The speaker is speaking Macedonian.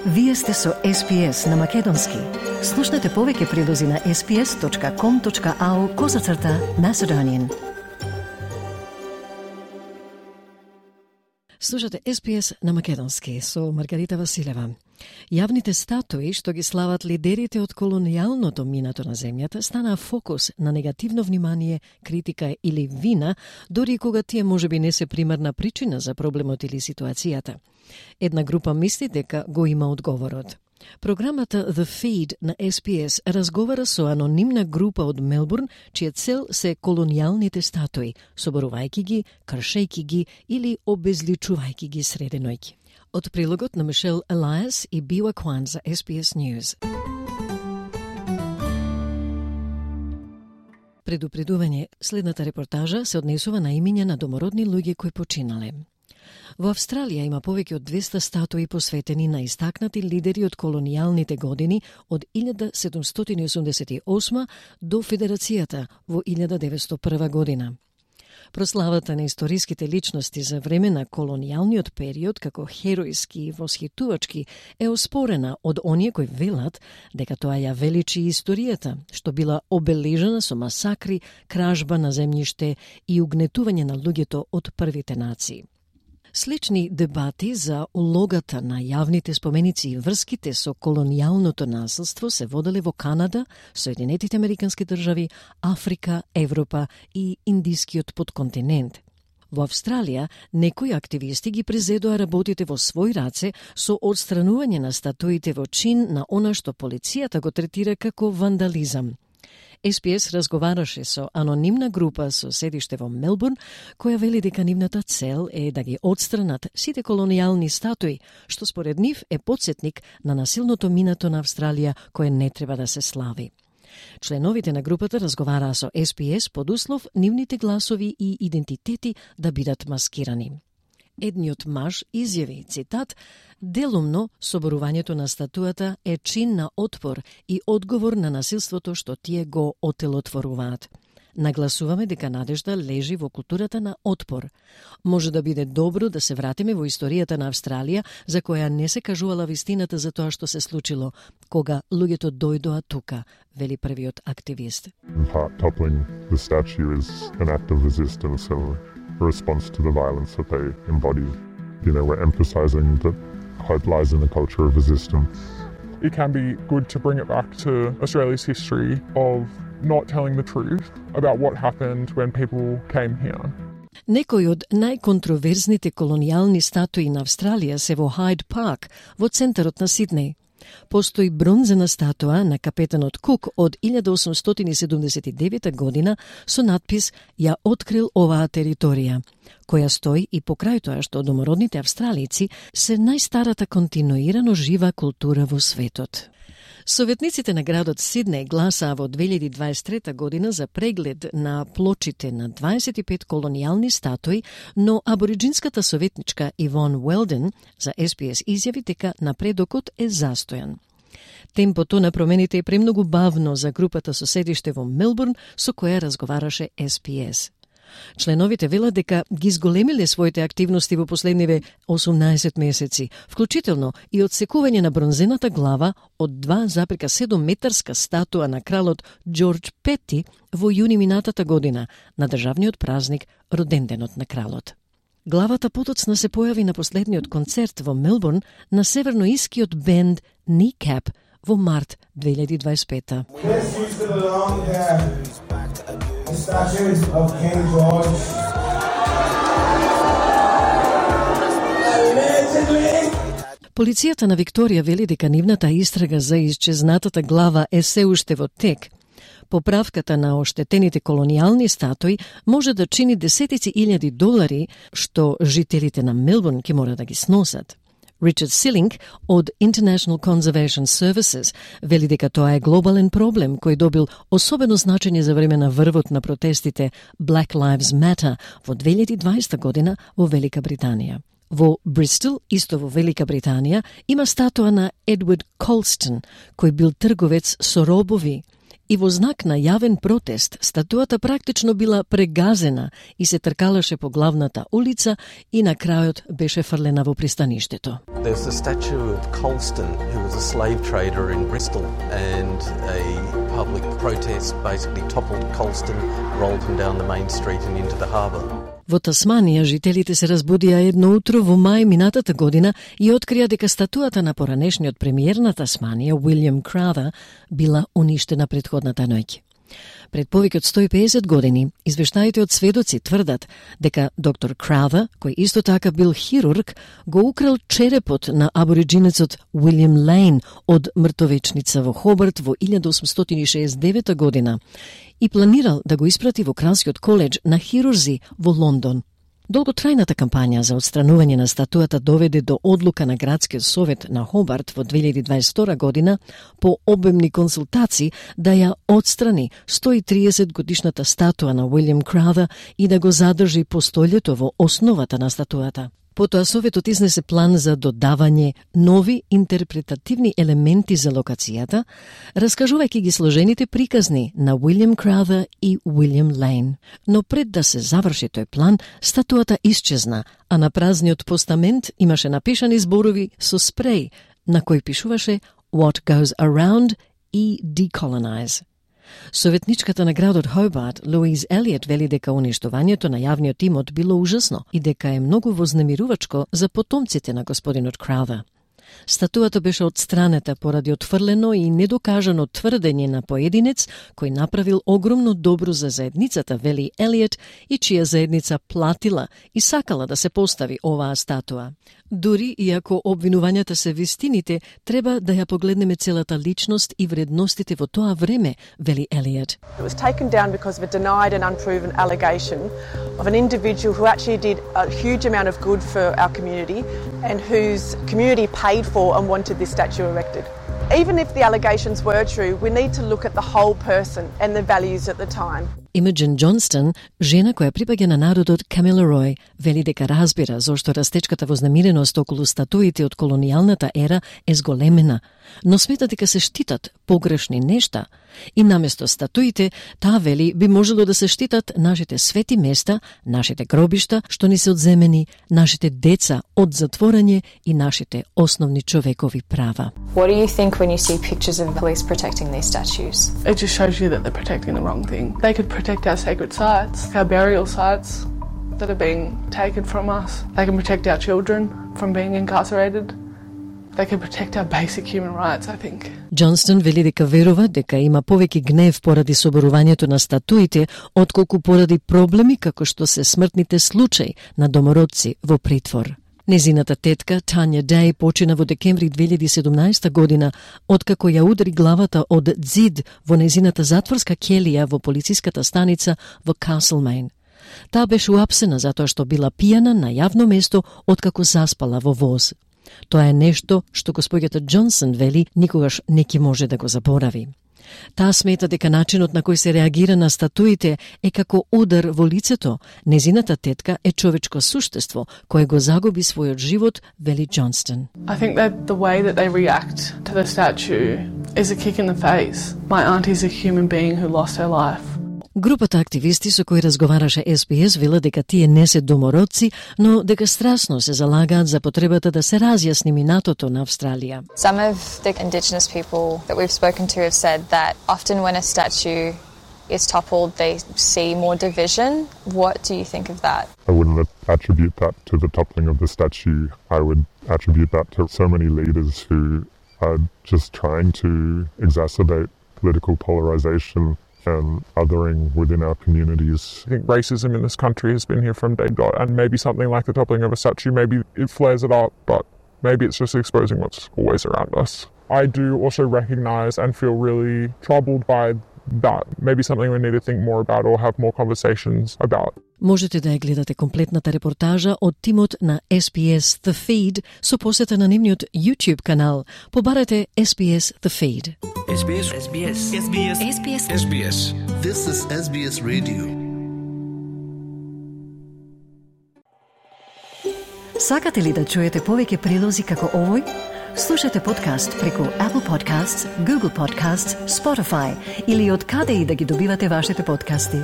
Вие сте со SPS на Македонски. Слушнете повеќе прилози на sps.com.au/Macedonian. Слушате SPS на Македонски со Маргарита Василева. Јавните статуи што ги слават лидерите од колонијалното минато на земјата станаа фокус на негативно внимание, критика или вина, дори кога тие можеби не се примарна причина за проблемот или ситуацијата. Една група мисли дека го има одговорот. Програмата The Feed на SPS разговара со анонимна група од Мелбурн, чија цел се колонијалните статуи, соборувајќи ги, кршејќи ги или обезличувајќи ги среде ноќ. Од прилогот на Мишел Елиас и Бива Кван за SPS News. Предупредување, следната репортажа се однесува на имиња на домородни луѓе кои починале. Во Австралија има повеќе од 200 статуи посветени на истакнати лидери од колонијалните години од 1788 до Федерацијата во 1901 година. Прославата на историските личности за време на колонијалниот период како херојски и восхитувачки е оспорена од оние кои велат дека тоа ја величи историјата, што била обележана со масакри, кражба на земјиште и угнетување на луѓето од првите нации. Слични дебати за улогата на јавните споменици и врските со колонијалното насилство се воделе во Канада, Соединетите Американски држави, Африка, Европа и Индискиот подконтинент. Во Австралија, некои активисти ги презедоа работите во свој раце со одстранување на статуите во чин на она што полицијата го третира како вандализам. SPS разговараше со анонимна група со седиште во Мелбурн, која вели дека нивната цел е да ги отстранат сите колонијални статуи, што според нив е потсетник на насилното минато на Австралија, кое не треба да се слави. Членовите на групата разговараа со SPS под услов нивните гласови и идентитети да бидат маскирани. Едниот маж изјави, цитат, "Делумно соборувањето на статуата е чин на отпор и одговор на насилството што тие го отелотворуваат. Нагласуваме дека надежда лежи во културата на отпор. Може да биде добро да се вратиме во историјата на Австралија, за која не се кажувала вистината за тоа што се случило, кога луѓето дојдоа тука", вели првиот активист. In part, toppling the statue is an act of resistance and a response to the violence that they embody. We're emphasizing that hope lies in the culture of resistance. It can be good to bring it back to Australia's history of not telling the truth about what happened when people came here. Некои од најконтроверзните колонијални статуи на Австралија се во Хайд Парк, во центарот на Сиднеј. Постои бронзена статуа на капетанот Кук од 1879 година со надпис "Ја открил оваа територија", која стои и покрај тоа што домородните австралици се најстарата континуирано жива култура во светот. Советниците на градот Сиднеј гласаа во 2023 година за преглед на плочите на 25 колонијални статуи, но абориджинската советничка Ивон Уелден за SPS изјави дека напредокот е застојан. Темпото на промените е премногу бавно за групата со седиште во Мелбурн со која разговараше SPS. Членовите велат дека ги изголемиле своите активности во последниве 18 месеци, вклучително и одсекување на бронзената глава од 2,7 метарска статуа на кралот Џорџ Пети во јуни минатата година, на државниот празник роденденот на кралот. Главата потоцна се појави на последниот концерт во Мелбурн на северноискиот бенд Kneecap во март 2025. Statues of King George. Полицијата на Викторија вели дека нивната истрага за исчезнатата глава е се уште во тек. Поправката на оштетените колонијални статуи може да чини десетици илјади долари, што жителите на Мелбурн ќе мора да ги сносат. Ричард Силинг од International Conservation Services вели дека тоа е глобален проблем кој добил особено значење за време на врвот на протестите Black Lives Matter во 2020 година во Велика Британија. Во Бристол, исто во Велика Британија, има статуа на Едвард Колстон, кој бил трговец со робови и во знак на јавен протест, статуата практично била прегазена и се тркалаше по главната улица и на крајот беше фрлена во пристаништето. There's a statue of Colston, who was a slave trader in Bristol, and a public protest basically toppled Colston, rolled him down the main street and into the harbour. Во Тасманија, жителите се разбудија едно утро во мај минатата година и открија дека статуата на поранешниот премиер на Тасманија, Уилјам Краутер, била уништена претходната ноќ. Пред повеќе од 150 години, извештаите од сведоци тврдат дека доктор Краутер, кој исто така бил хирург, го украл черепот на абориджинецот Уилјам Лейн од мртовечница во Хобарт во 1869 година и планирал да го испрати во Кралскиот коледж на хирурзи во Лондон. Долготрајната кампања за отстранување на статуата доведе до одлука на Градскиот совет на Хобарт во 2022 година по обемни консултации да ја отстрани 130 годишната статуа на Уилјам Краутер и да го задржи постолјето во основата на статуата. Потоа Советот изнесе план за додавање нови интерпретативни елементи за локацијата, раскажувајќи ги сложените приказни на Уилјам Краутер и Уилјам Лейн. Но пред да се заврши тој план, статуата исчезна, а на празниот постамент имаше напишани зборови со спреј, на кој пишуваше What goes around и decolonize. Советничката на градот Хобарт, Луиз Елиот, вели дека уништувањето на јавниот имот било ужасно и дека е многу вознемирувачко за потомците на господинот Краутер. Статуата беше отстранета поради отфрлено и недокажано тврдење на поединец кој направил огромно добро за заедницата, вели Елиот, и чија заедница платила и сакала да се постави оваа статуа. Дури и ако обвинувањата се вистините, треба да ја погледнеме целата личност и вредностите во тоа време, вели Елиот. It was taken down because of a denied and unproven allegation of an individual who actually did a huge amount of good for our community and whose community paid for and wanted this statue erected. Even if the allegations were true, we need to look at the whole person and the values at the time. Имаджин Џонстон, жена која припаѓа на народот Камила Рој, вели дека разбира зошто растечката вознемиреност околу статуите од колонијалната ера е зголемена, но смета дека се штитат погрешни нешта и наместо статуите, таа вели би можело да се штитат нашите свети места, нашите гробишта што ни се одземени, нашите деца од затворање и нашите основни човекови права. What do you think when you see pictures of police protecting these statues? It just shows you that they're protecting the wrong thing. They could protect our sacred sites, our burial sites that are being taken from us. They can protect our children from being incarcerated. They can protect our basic human rights, I think. Џонстон вели дека верува дека има повеќе гнев поради соборувањето на статуите, отколку поради проблеми како што се смртните случаи на домородци во притвор. Незината тетка, Тања Деј, почина во декември 2017 година, откако ја удари главата од ѕид во незината затворска ќелија во полициската станица во Каслмейн. Таа беше уапсена затоа што била пијана на јавно место откако заспала во воз. Тоа е нешто што господјата Џонсон вели никогаш не ќе може да го заборави. Таа смета дека начинот на кој се реагира на статуите е како удар во лицето. Незината тетка е човечко суштество кое го загуби својот живот, вели Џонстон. I think that the way that they react to the statue is a kick in the face. My auntie's a human being who lost her life. Групата активисти со кои разговараше СПС вела дека тие не се домородци, но дека страсно се залагаат за потребата да се разјасни минатото на Австралија. Some of the Indigenous people that we've spoken to have said that often when a statue is toppled, they see more division. What do you think of that? I wouldn't attribute that to the toppling of the statue. I would attribute that to so many leaders who are just trying to exacerbate political polarization and othering within our communities. I think racism in this country has been here from day dot, and maybe something like the toppling of a statue, maybe it flares it up, but maybe it's just exposing what's always around us. I do also recognise and feel really troubled by that. Maybe something we need to think more about or have more conversations about. Можете да ја гледате комплетната репортажа од тимот на SBS The Feed со посета на нивниот YouTube канал. Побарате SBS The Feed. SBS. SBS. SBS. SBS. SBS. This is SBS Radio. Сакате ли да чуете повеќе прилози како овој? Слушате подкаст преку Apple Podcasts, Google Podcasts, Spotify или од каде и да ги добивате вашите подкасти.